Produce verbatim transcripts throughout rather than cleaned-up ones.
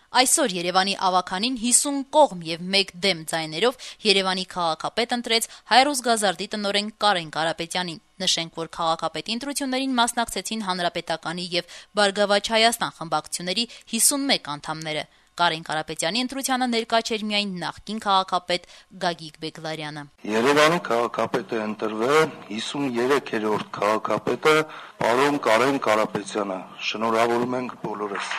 Այսօր Երևանի ավականին հիսուն կողմ եւ մեկ դեմ ձայներով Երևանի քաղաքապետ ընտրեց Հայրուզ Գազարդի տնօրեն Կարեն Կարապետյանին։ Նշենք, որ քաղաքապետի ընտրություններին մասնակցեցին Հանրապետականի եւ Բարգավաճ Հայաստան խմբակցությունների հիսունմեկ անդամները։ Կարեն Կարապետյանի ընտրությանը ներկա չէր միայն նախկին քաղաքապետ Գագիկ Բեգլարյանը։ Երևանի քաղաքապետ է ընտրվել հիսուներեքերորդ քաղաքապետը պարոն Կարեն Կարապետյանը։ Շնորհավորում ենք բոլորս։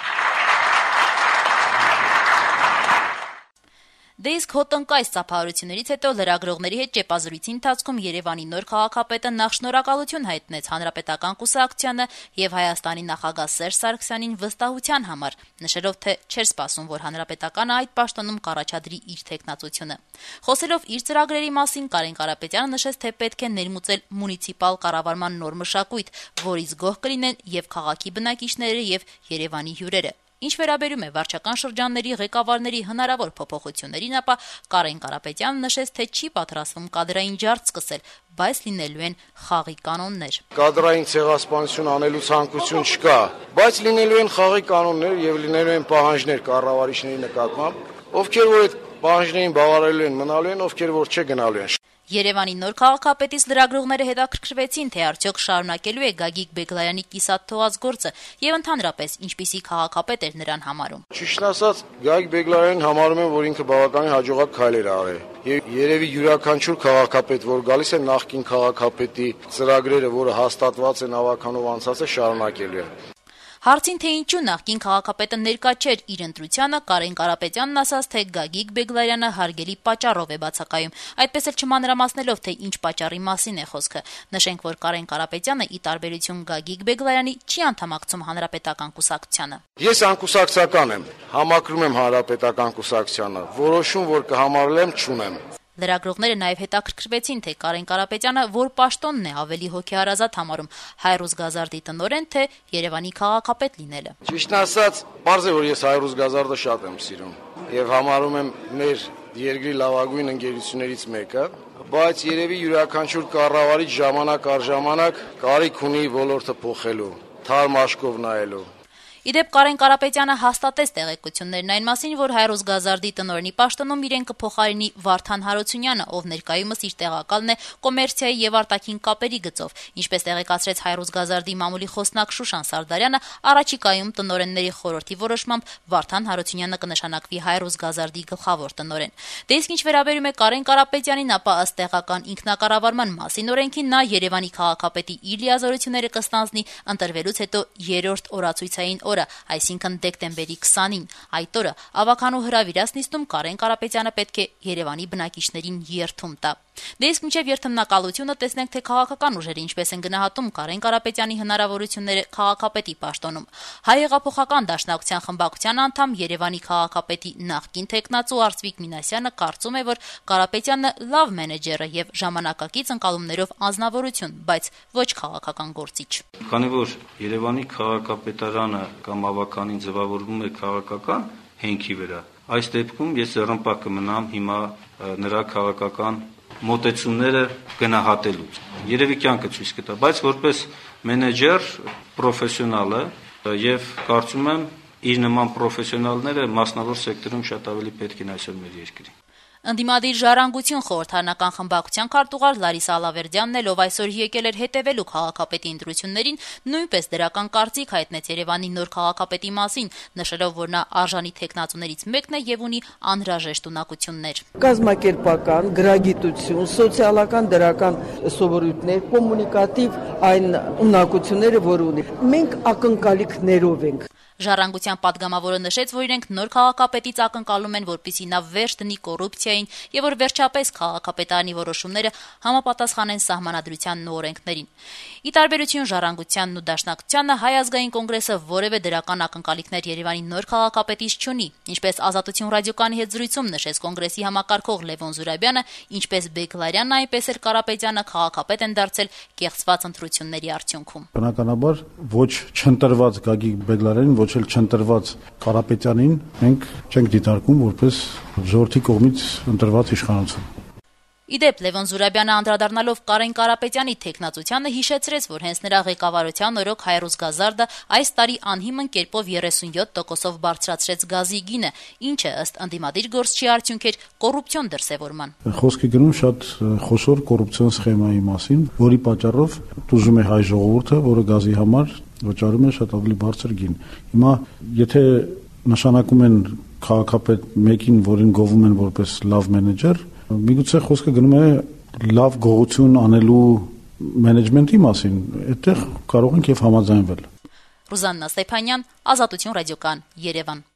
Դե իսկ հոտնկայս ծափահարություններից հետո լրագրողների հետ ճեպազրույցի ընթացքում Երևանի նոր քաղաքապետը նախ շնորհակալություն հայտնեց Հանրապետական կուսակցությանը եւ Հայաստանի նախագահ Սերժ Սարգսյանին վստահության համար, նշելով, թե չէր սպասում, որ Հանրապետականը այդ պաշտոնում կառաջադրի իր թեկնածությունը։ Խոսելով իր ծրագրերի մասին, Կարեն Կարապետյանը նշեց, թե պետք է ներմուծել մունիցիպալ կառավարման նոր մշակույթ, որից գոհ կլինեն եւ քաղաքի բնակիչները եւ Երևանի հյուրերը։ Ինչ վերաբերում է վարչական շրջանների ղեկավարների հնարավոր փոփոխություններին, ապա Կարեն Կարապետյանը նշեց, թե չի պատրաստվում կադրային ջարդ սկսել, բայց լինելու են խաղի կանոններ։ Կադրային ցեղասպանություն անելու ցանկություն չկա, բայց լինելու են խաղի կանոններ եւ լինելու են պահանջներ կառավարիչների նկատմամբ, ովքեր որ այդ պահանջներին բավարարելու են, մնալու են, ովքեր որ չգնալու են։ Երևանի նոր քաղաքապետից լրագրողները հետաքրքրվեցին, թե արդյոք շարունակելու է Գագիկ Բեգլարյանի կիսատ թողած գործը եւ ընդհանրապես ինչպիսի քաղաքապետ էր նրան համարում։ Ճիշտն ասած, Գագիկ Բեգլարյանին համարում եմ, որ ինքը բավականին հաջողակ քայլեր արել։ Եվ երևի յուրաքանչյուր քաղաքապետ, որ գալիս է նախկին քաղաքապետի ծրագրերը, որը հաստատված են ավականով անցած է, շարունակելու է։ Հարցին, թե ինչու նախկին քաղաքապետը ներկա չէր իր ընտրությանը, Կարեն Կարապետյանն ասաց, թե Գագիկ Բեգլարյանը հարգելի պատճառով է բացակայում, այդպես էլ չմանրամասնելով, թե ինչ պատճառի մասին է խոսքը։ Նշենք, որ Կարեն Կարապետյանը, ի տարբերություն Գագիկ Բեգլարյանի, չի անդամակցում Հանրապետական կուսակցությանը։ Ես անկուսակցական եմ, համակրում եմ Հանրապետական կուսակցությանը, որոշում, որ կհամարել եմ, չունեմ։ Լրագրողները նաև հետաքրքրվեցին, թե Կարեն Կարապետյանը որ պաշտոնն է ավելի հոգեհարազատ համարում՝ Հայրուզ Գազարդի տնօրեն, թե Երևանի քաղաքապետ լինելը։ Ճիշտն ասած, պարզ է, որ ես Հայրուզ Գազարդը շատ եմ սիրում եւ համարում եմ մեր երկրի լավագույն ընկերություններից մեկը, բայց երևի յուրաքանչյուր կառավարիչ ժամանակ առ ժամանակ կարիք ունի ոլորտը փոխելու, թարմ աշկով նայելու։ Իդեպ Կարեն Կարապետյանը հաստատեց տեղեկություններն այն մասին, որ Հայրուզ Գազարդի տնօրենի պաշտոնում իրեն կփոխարինի Վարդան Հարությունյանը, ով ներկայումս իր տեղակալն է կոմերցիայի եւ արտաքին կապերի գծով։ Ինչպես տեղեկացրեց Հայրուզ Գազարդի մամուլի խոսնակ Շուշան Սարդարյանը, առաջիկայում տնօրենների խորհրդի որոշմամբ Վարդան Հարությունյանը կնշանակվի Հայրուզ Գազարդի գլխավոր տնօրեն։ Դե իսկ ինչ վերաբերում է Կարեն Կարապետյանին, ապա ըստ տեղական ինքնակառավարման մասին օրենքի նա Երևանի քաղաքապետի իր լիազորությունները կստանձնի ընտրվելուց հետո երրորդ օրացույցային օրը, այսինքն դեկտեմբերի քսանին։ Այդ օրը ավականու հրավիրած նիստում Կարեն Կարապետյանը պետք է Երևանի բնակիչներին երթում տա։ Դե իսկ մինչև երթմնակալությունը տեսնենք, թե քաղաքական ուժերը ինչպես են գնահատում Կարեն Կարապետյանի հնարավորությունները քաղաքապետի պաշտոնում։ Հայ հեղափոխական դաշնակցության խմբակցության անդամ Երևանի քաղաքապետի նախկին թեկնածու Արծվիկ Մինասյանը կարծում է, որ Կարապետյանը լավ մենեջեր է եւ ժամանակակից ընկալումներով անձնավորություն, բայց ոչ քաղաքական գործիչ։ Քանի որ Երևանի քաղաքապետարանը կամ ավականին ձևավորվում է քաղաքական հենքի վրա, այս դեպքում ես ըռմպակ կմնամ հիմա նրա քաղաքական մոտեցումները գնահատելուց։ Երևի կյանքը ցույց կտա, բայց որպես մենեջեր պրոֆեսիոնալը եւ կարծում եմ իր նման պրոֆեսիոնալները մասնավոր սեկտորում շատ ավելի պետք են այսօր մեր երկրին։ Ընդդիմադիր ժառանգություն խորհրդարանական խմբակցության քարտուղար Լարիսա Ալավերդյանն էլ, ով այսօր եկել էր հետևելու քաղաքապետի ընտրություններին, նույնպես դրական կարծիք հայտնեց Երևանի նոր քաղաքապետի մասին, նշելով, որ նա արժանի թեկնածուներից մեկն է եւ ունի անհրաժեշտ ունակություններ։ Կազմակերպական, գրագիտություն, սոցիալական դրական սովորույթներ, կոմունիկատիվ այն ունակությունները, որ ունի։ Մենք ակնկալիքներով ենք։ Ժառանգության падգամավորը նշեց, որ իրենք նոր քաղաքապետից ակնկալում են, որպեսզի նա վերջ դնի կոռուպցիային եւ որ վերջապես քաղաքապետարանի որոշումները համապատասխանեն սահմանադրությանն ու օրենքներին։ Ի տարբերություն ժառանգությանն ու դաշնակցությանը Հայ ազգային կոնգրեսը որևէ դրական ակնկալիքներ Երևանի նոր քաղաքապետից չունի, ինչպես Ազատություն ռադիոկայանի հետ զրույցում նշեց կոնգրեսի համակարգող Լևոն Զուրաբյանը, ինչպես Բեգլարյանն, այնպես էլ Կարապետյանը քաղաքապետ են դարձել կեղծված ընտրությունների արդյունքում։ Բնականաբար ոչ չընտրված Գագիկ Բեգլարյանին, ոչ էլ չընտրված Կարապետյանին մենք չենք դիտարկում որպես ժողովրդի կողմից ընտրված իշխանություն։ Ի դեպ, Լևոն Զուրաբյանը անդրադառնալով Կարեն Կարապետյանի թեկնածությանը հիշեցրեց, որ հենց նրա ղեկավարության օրոք Հայրուսգազարդը այս տարի անհիմն կերպով երեսունյոթ տոկոսով բարձրացրեց գազի գինը, ինչը ըստ ընդդիմադիր գործչի արդյունք էր կոռուպցիոն դրսևորման։ Խոսքը գնում շատ խոշոր կոռուպցիոն սխեմայի մասին, որի պատճառով տուժում է հայ ժողովուրդը, որը գազի համար վճարում է շատ ավելի բարձր գին։ Հիմա եթե նշանակում են քաղաքապետ մեկին, որին գովում են որպես լավ մենեջեր, միգուցե խոսքը գնում է լավ գողություն անելու մենեջմենտի մասին, այդտեղ կարող ենք եւ համաձայնվել։ Ռուզաննա Ստեփանյան, Ազատություն ռադիոկան, Երևան։